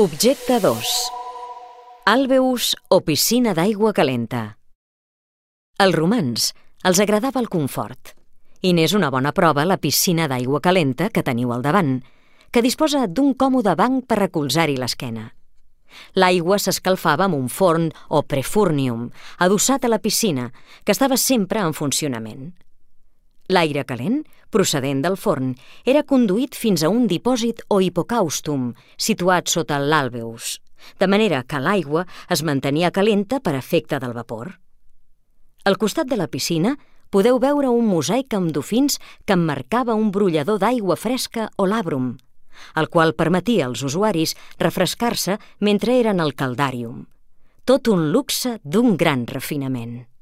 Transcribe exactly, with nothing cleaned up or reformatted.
Objecte dos. Alveus o piscina d'aigua calenta. Als romans els agradava el confort, i n'és una bona prova la piscina d'aigua calenta que teniu al davant, que disposa d'un còmode banc per recolzar-hi l'esquena. L'aigua s'escalfava amb un forn o prefúrnium, adossat a la piscina, que estava sempre en funcionament. L'aire calent, procedent del forn, era conduït fins a un dipòsit o hipocàustum, situat sota l'àlveus, de manera que l'aigua es mantenia calenta per efecte del vapor. Al costat de la piscina podeu veure un mosaic amb dofins que emmarcava un brollador d'aigua fresca o làbrum, el qual permetia als usuaris refrescar-se mentre eren al caldàrium. Tot un luxe d'un gran refinament.